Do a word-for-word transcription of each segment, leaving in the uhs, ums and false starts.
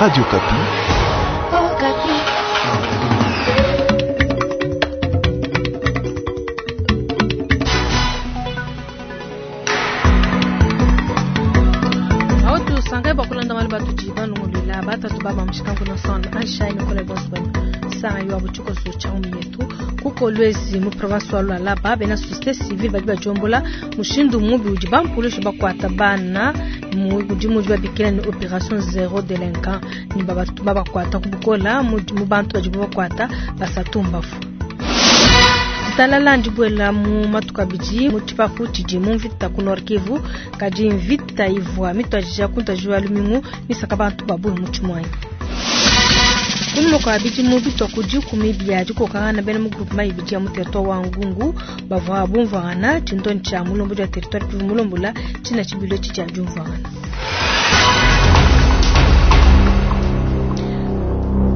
Radio Okapi. Okapi. Aotu sangai bakulanda malu batuji banungulula batatu baba mushikangu na sound Aisha Nicola Bosman sanga yo abuchiko so chaumi yetu kuko lwezi mu province wa Lualaba bena société civile badi bajombola mushindu mubi udi bampulushi bakwata bana mu udi mudi babikila ni opération zéro délinquant ni babatu babakwata kubukola mu mu bantu badi babakwata basatu mbafu talala ndibwela mu matuka abidi mu tshipapu tshidi mu mvita ku Nord Kivu kadi mvita ivua mituadija kuntuadija lumingu misaka bantu babungi mu tshimuanyi kunyuma kua bidimu bitua ku dikumi bia dikokangana bena mu groupement ibidi ya mu territoire wa Ngungu bavua bumvuangana tshindoni tshia mulombodi wa territoire Kivu mulombola tshina tshibilu etshi tshia diumvuangana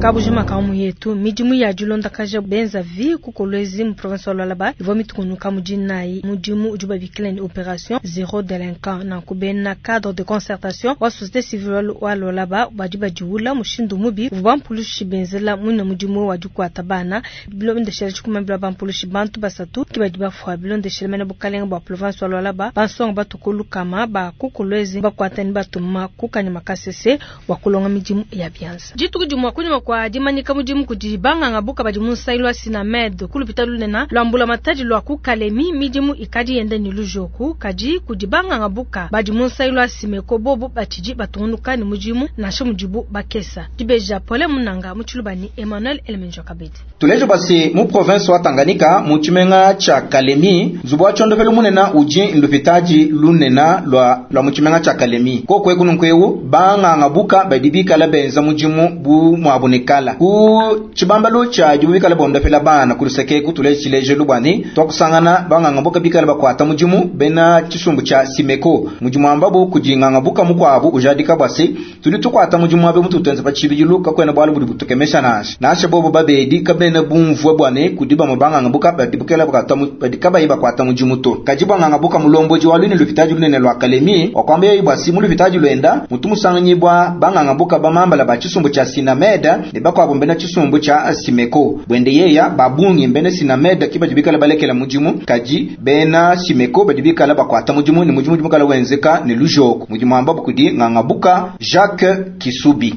kabujima kamu yetu midimu ya dilondakaja benza vi ku Kolwezi mu province wa Lualaba ivua mitukunuka mu dinayi mudimu udi babikila ni opération zéro délinquant nanku bena cadre de concertation wa société civile wa Lualaba badi badiwula mushindu mubi uvua bampulushi benzela muine mudimu wa dikuata bana bilondeshela tshikumambila bampulushi bantu basatu ki badi bafua bilondeshela mene bukalenga bua province wa Lualaba bansonga batuku lukama ba ku Kolwezi bakuata ni batuma ku Kanyama Kasese wa kulonga midimu ya bianza dituku dimue kunyuma kwa dimanyika mudimu kudi banganga buka badi mu nsayi lwa Sinamed kulupita lunena lwa matadi lwa ku Kalemi midimu ikadi yenda ni lujoku kadi kudi banganga buka badi mu nsayi lwa Simeko bobo batshidi batungunuka ni mudimu nansha mudibu bakesa dibeja pole munanga mu tshilubani Emmanuel Elemenjo Kabedi tulejo basi mu province wa Tanganyika mu tshimenga tsha Kalemi nzubu wa tshondopelu munena udi ndupitaji lunena lwa lwa mu tshimenga tsha Kalemi kokwe kununkweu banganga buka badi bikala benza mudimu bu muabune kala ku tshibambalu tshia dibu bikala bondopela bana kuluseke kutule tshilejelu bwani twakusangana banganga buka bikala bakwata mudimu bena tshisumbu tshia Simeko mudimu ambabu kudinganga buka mukwabu ujadika bwasi tudi tukwata mudimu abe mututenza pa tshibidilu kakwena bwalu budi butukemesha nasha nasha bobo babedi kabena bumvue bwane kudi bamwe banganga buka badi bukela bakwata badi kabayi bakwata mudimu to kadi banganga buka mulomboji wa lwini lupitaji lunene lwa Kalemi wakwamba yeyi bwasi mu lupitaji lwenda mutu musanganyibwa banganga buka bamambala ba tshisumbu tshia Sinameda ne bakwabo mbena tshisumbu tshia Simeko bwende yeya babungi mbena Sinameda kibadi bikala balekela mudimu kadi bena Simeko badi bikala bakwata mudimu ne mudimu mukala wenzeka ne lujoko mudimu ambabu kudi ngangabuka Jacques Kisubi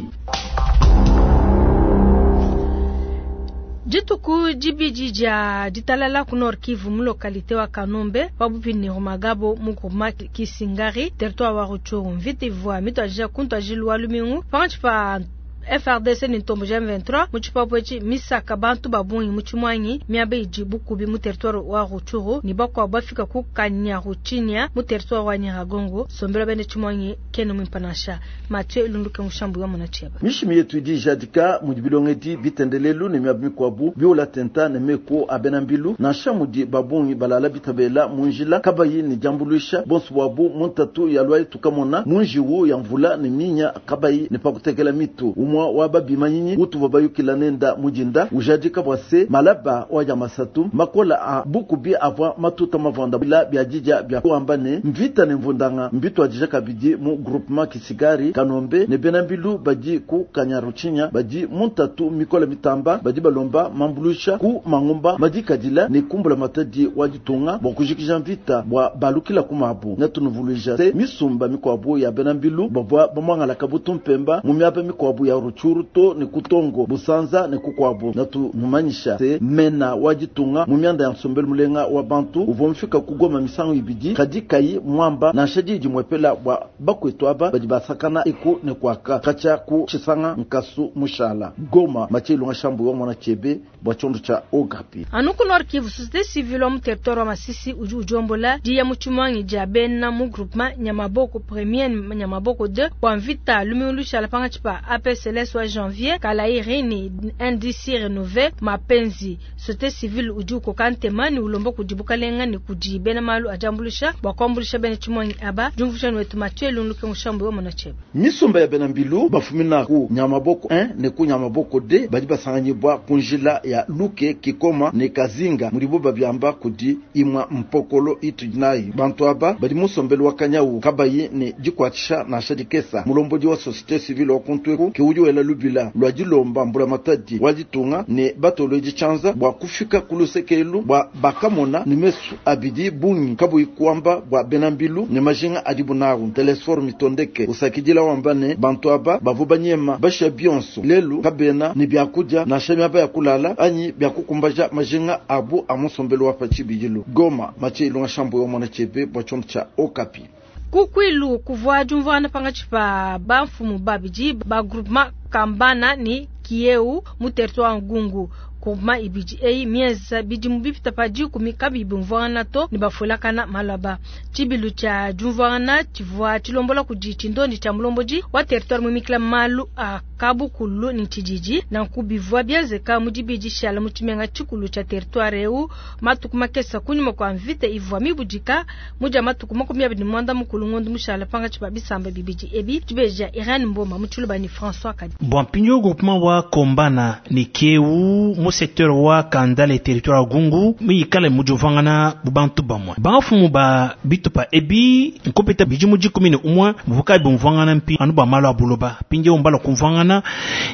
dituku dibidi dia ditalala ku Nord Kivu mu localité wa Kanombe pabupi ni Rumagabo mu groupement Kisingari territoire wa Rutshuru mvita ivua mituadija kuntuajilu wa lumingu pankatshi pa F R D C ni ntombo ja M vingt-trois mu tshipapu etshi misaka bantu babungi mu tshimuanyi miaba idi bukubi mu territoire wa Rutshuru ni bakuabu bafika ku Kanyaruchinya mu territoire wa Nyiragongo sombela bene tshimuanyi kene muimpa nansha Mathieu Lunduke mushambu wa mona tshieba mishimi yetu idi ijadika mudi bilongedi bitendelelu ne miaba mikuabu biola tenta ne meko abena mbilu nansha mudi babungi balala bitabela mu njila kabayi ne diambuluisha bonso bwabu mu ntatu ya lwa tukamona mu njiwu ya mvula ne minya kabayi ne pakutekela mitu umwa wa babimanyinyi utuva bayukila nenda mujinda ujadika bwa se malaba wa masatu makola a bukubi avua matuta mavanda bila bya jija bya kuamba ne mvita ne mvundanga mbitu adija kabidi mu groupement Kisigari Kanombe ne bena mbilu badi ku Kanyaruchinya badi muntatu mikola mitamba badi balomba mambulusha ku mangumba madikadila ne kumbula matadi wa ditunga bwa kujikija mvita bwa balukila ku mabu netunuvuluija se misumba mikwabu ya bena mbilu bavua bamwangala kabutu mpemba mu miaba mikwabu ya Rutshuru to ne kutongo busanza ne kukwabu natunumanyisha se mena wa ditunga mu mianda ya nsombelu mulenga wa bantu uvua mufika kugoma misangu ibidi kadi kayi mwamba nansha didi mwepela bwa bakwetu aba badi basakana eku ne kwaka kacha ku tshisanga nkasu mushala Goma Mathieu Shambu wa mwana chebe bwa tshiondo tsha Okapi anu ku Nord Kivu société civile wa mu territoire wa Masisi udi ujombola diya mu tshimuangi dia bena mu groupement Nyamaboko premier Nyamaboko deux bua mvita lumingu lushala pankatshi pa A P C L S wa Janvier Kalairi ni N D C Renové Mapenzi société civile udi ukoka ntema ni ulomba kudi bukalenga ni kudi bena malu adiambulusha bua kuambulusha bena tshimuangi aba diumvushani wetu Mathieu Lunduke mushambu wa mwana chebe misumba ya bena mbilu bafumina ku Nyamaboko un ne ku Nyamaboko deux badi basanganyibwa ku njila ya Luke Kikoma ne Kazinga mudibo babyamba kudi imwa mpokolo itu nayi bantu aba badi musombelu wa kanyawu kabayi ne dikwatshisha nansha dikesa mulombodi wa société civile wa kuntweku ke udi wela lubila lwa dilomba mbulamatadi wa ditunga ne batolodi tshianza bua kufika ku lusekelu bua bakamona ne mesu abidi bungi kabuyi kuamba bua bena mbilu ne majinga adibu nawu. Telesfor Mitondeke usakidila wamba ne bantu aba bavua banyema basha bionso lelu kabena ne biakudia nansha miaba ya kulala anyi biakukumbaja majinga abu a musombelu wa pa tshibidilu. Goma, Mathieu Ilunga Shambo yo mwana chebe bua tshiondo tshia Okapi. Kukwilu kuvua diumvuana pangatshi pa bamfumu babidi ba groupement Kambana ni Kieu mu territoire Ngungu. Groupement ibidi eyi mienza bidimu bipita pa dikumi kabiyi bumvuangana to ne bafuelakana malaba. Tshibilu tshia diumvuangana tshivua tshilombola kudi tshindondi tshia mulombodi wa territoire mumikila malu a kabukulu ne tshididi. Nanku bivua bienzeka mu dibidi tshiala mu tshimenga tshikulu tshia territoire eu matuku makesa kunyima kua mvita ivua mibudika mu dia matuku makumi abidi ne muanda mukulu ngondo mushala pangatshi pa bisamba bibidi ebi. Tshibeja Irene Mboma mu tshiluba ne François Kadi. Bua mpindieu groupement wa Kombana ne Kieu mu secteur wa Kandale territoire wa Gungu mikale mu diumvuangana bu bantu bamue. Bamfumu ba bitupa ebi nkupita bidimu dikumi ne umue buvuka bumvuangana mpi anu bua malu a buloba. Mpindieu mbala kumvuangana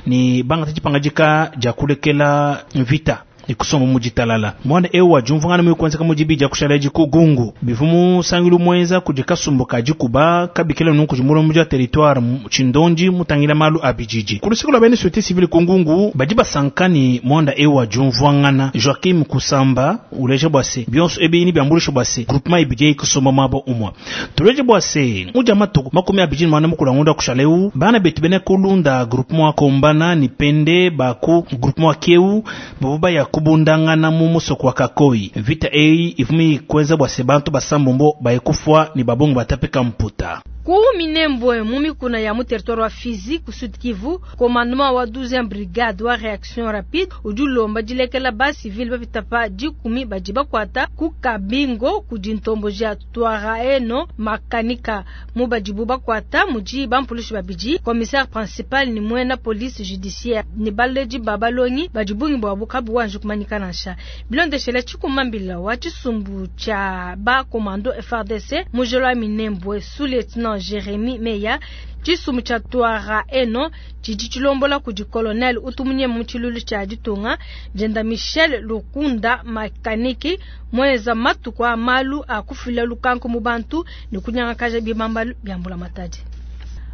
ne bangata dipangadika dia kulekela mvita ikusoma mu ditalala. Mwana eu wa diumvuangana mu kuenzeka mu dibidi kushala ku Gungu. Bivu musangilu muenza kudi kasumbu ka dikuba kabikila nunku kudi mulombo dia territoire tshindondi mutangila malu a bididi. Ku luseke lua bena société civile ku Ngungu badi basanka ni mwanda eu wa diumvuangana. Joachim Kusamba uleja bua se bionso ebi ni biambulisha bua se groupement ibidi ikusoma mabo umwa. Tuleje bua se muja matuku makumi abidi ni mwana mukulu ngunda kushala eu bana betu bena kulunda groupement Kombana ni pende baku groupement Kieu babuba ya kubundangana mu musoko wa Kakoi. Vita eyi ivumi kweza bwa se bantu basambombo bayekufwa ni babongo batapeka mputa. Ku Minembwe mu mikuna ya mu territoire wa Fizi ku Sud Kivu, commandement wa douzième brigade wa réaction rapide udi ulomba dilekela ba civil bapita pa dikumi badi bakuata ku Kabingo kudi ntombo dia Twaraeno Makanika mu badibu bakuata mudi bampulushi babidi commissaire principal ni mwena police judiciaire ni baledi babalongi badi bungi bwa bukabu wanje kumanyika nansha. Bilondeshela tshikumambila wa tshisumbu tshia ba commando F R D C mujelo wa Minembwe sous lieutenant Jérémy Meya. Tshisumbu tshia Twaraeno tshidi tshilombola kudi colonel utumunye mu tshilulu tshia ditunga Jenda Michel Lukunda Makaniki mweza matuku a malu a kufila lukanko mu bantu ne kunyangakaja bibambalu bya mbula matadi.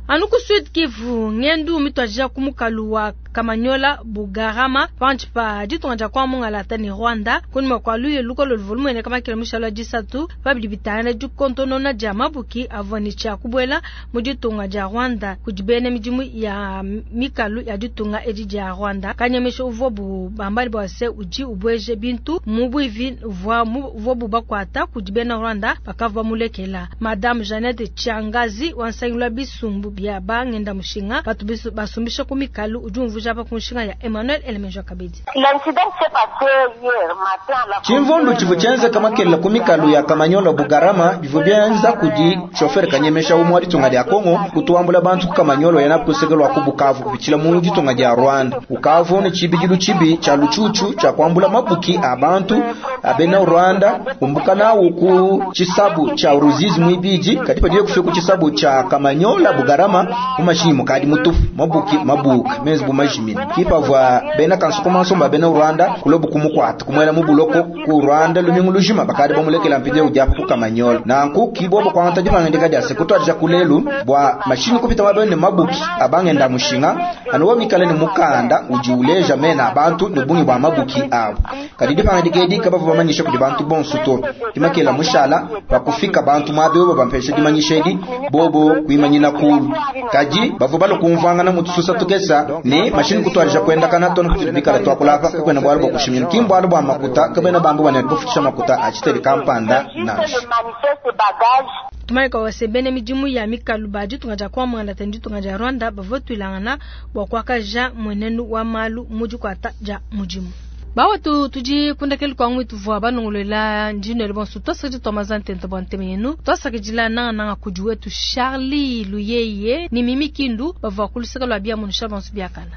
Anu ku Sud Kivu ngendu mitwajia kumukalu wa Kamanyola Bugarama panchi pa ditunga dia kwa Mungalata ni Rwanda kunyuma kwa luye lukolo volume ne kama kila mishalo disatu babidi bitana du kontonona dia mabuki avoni cha kubwela mu ditunga dia Rwanda kudibene midimu ya mikalu ya ditunga edi dia Rwanda kanyemesho uvobu bambali bwase uji ubweje bintu mubwivi vwa mvobu bakwata kudibena Rwanda bakava mulekela Madame Jeannette Chiangazi wansangilwa bisumbu bya bangenda mushinga batu basumbisha ku mikalu udi umvuja pa kunshinga ya Emmanuel Elemenjo Kabedi. Chimvundu chivu chenze kama kela ku mikalu ya Kamanyola Bugarama bivu byenza kudi chauffeur kanyemesha umwe wa ditunga lya Kongo kutuambula bantu ku Kamanyola yana kusekelwa ku Bukavu kupichila mu ditunga lya Rwanda. Bukavu ni chibijilu chibi cha luchuchu cha kuambula mabuki abantu abena Rwanda kumbuka nawo ku chisabu cha Ruzizi mwibiji katipa diye kufika ku chisabu cha Kamanyola Bugarama mumashinyi mukadi mutufu mabuki mabuka mezi bumajimina kipavwa bena kansukomansomba bena Rwanda kulobu kumukwata kumwela mubuloko ku Rwanda lumingu lujima bakadi bamulekela mpinde ujapa ku Kamanyola nanku kibobo kwanta dimangendeka dia sekutwarija kulelu bwa mashinyi kupita mabene mabuki abangenda mushinga anuwa mikale ni mukanda ujiuleja mena abantu nubungi bwa mabuki abo kadi dipangandika edi kabava bamanyisha kudi bantu bonso to dimakela mushala bakufika bantu mwabe bo bampesha dimanyisha edi bobo kuimanyina kulu kadi bavo balokumvangana mutususa tukesa ni mashini kutwarija kwenda kana tono kutibikala twakulapa kwenda bwalo bwa kushimina kimbwalo bwa makuta kabena bambu bana kufutisha makuta achiteli kampanda nansha. Tumaika wasebene midimu ya mikalu ba ditunga dia kwa Mwanda tena ditunga dia Rwanda bavotwilangana bwa kwakaja mwenenu wa malu mudi kwata ja mudimu. Bawa tu tuji kundakeli kwa ngwi tuvua banongolela njino elebonso twasakidi twamazante ntabwa nteme yenu twasakidila nanga nanga kudi wetu Charlie Luyeye ni Mimi Kindu bavua kuluseka lwa bia munusha bonso biakana.